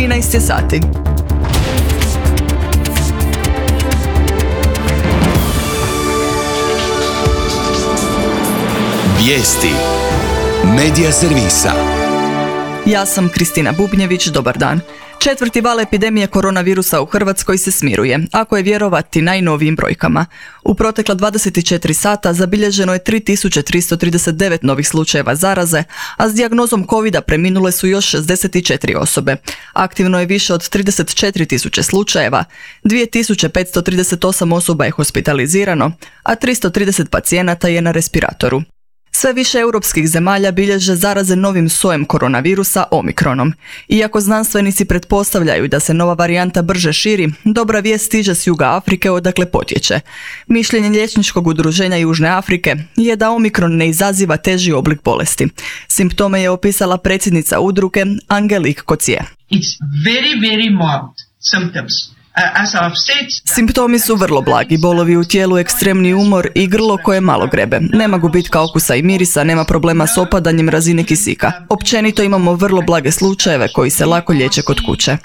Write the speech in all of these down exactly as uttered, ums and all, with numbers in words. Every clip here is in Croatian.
trinaest je sati. Vijesti Medija servisa. Ja sam Kristina Bubnjević, dobar dan. Četvrti val epidemije koronavirusa u Hrvatskoj se smiruje, ako je vjerovati najnovijim brojkama. U protekla dvadeset četiri sata zabilježeno je tri tisuće tristo trideset devet novih slučajeva zaraze, a s dijagnozom covida preminule su još šezdeset četiri osobe. Aktivno je više od trideset četiri tisuće slučajeva, dvije tisuće petsto trideset osam osoba je hospitalizirano, a tristo trideset pacijenata je na respiratoru. Sve više europskih zemalja bilježe zaraze novim sojem koronavirusa omikronom. Iako znanstvenici pretpostavljaju da se nova varijanta brže širi, dobra vijest stiže s juga Afrike odakle potječe. Mišljenje liječničkog udruženja Južne Afrike je da omikron ne izaziva teži oblik bolesti. Simptome je opisala predsjednica udruge Angelique Coetzee. It's very, very mild symptoms. Simptomi su vrlo blagi, bolovi u tijelu, ekstremni umor i grlo koje malo grebe. Nema gubitka okusa i mirisa, nema problema s opadanjem razine kisika. Općenito imamo vrlo blage slučajeve koji se lako liječe kod kuće.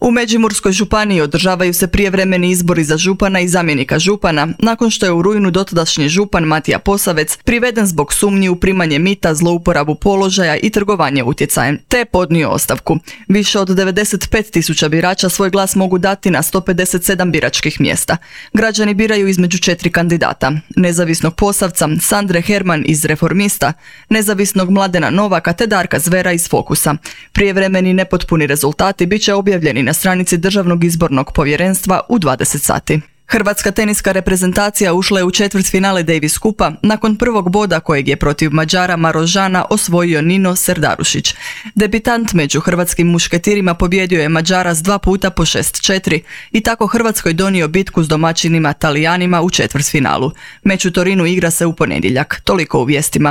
U Međimurskoj županiji održavaju se prijevremeni izbori za župana i zamjenika župana, nakon što je u rujnu dotadašnji župan Matija Posavec priveden zbog sumnji u primanje mita, zlouporabu položaja i trgovanje utjecajem, te podnio ostavku. Više od devedeset pet tisuća birača svoj glas mogu dati na sto pedeset sedam biračkih mjesta. Građani biraju između četiri kandidata: nezavisnog Posavca, Sandre Herman iz Reformista, nezavisnog Mladena Novaka te Darka Zvera iz Fokusa. Prijevremeni nepotpuni rezultati bit će objavljeni na na stranici Državnog izbornog povjerenstva u dvadeset sati. Hrvatska teniska reprezentacija ušla je u četvrtfinale Davis Kupa nakon prvog boda kojeg je protiv Mađara Marožana osvojio Nino Serdarušić. Debitant među hrvatskim mušketirima pobjedio je Mađara s dva puta po šest četiri i tako Hrvatskoj donio bitku s domaćinima Talijanima u četvrtfinalu. Meč u Torinu igra se u ponedjeljak. Toliko u vijestima.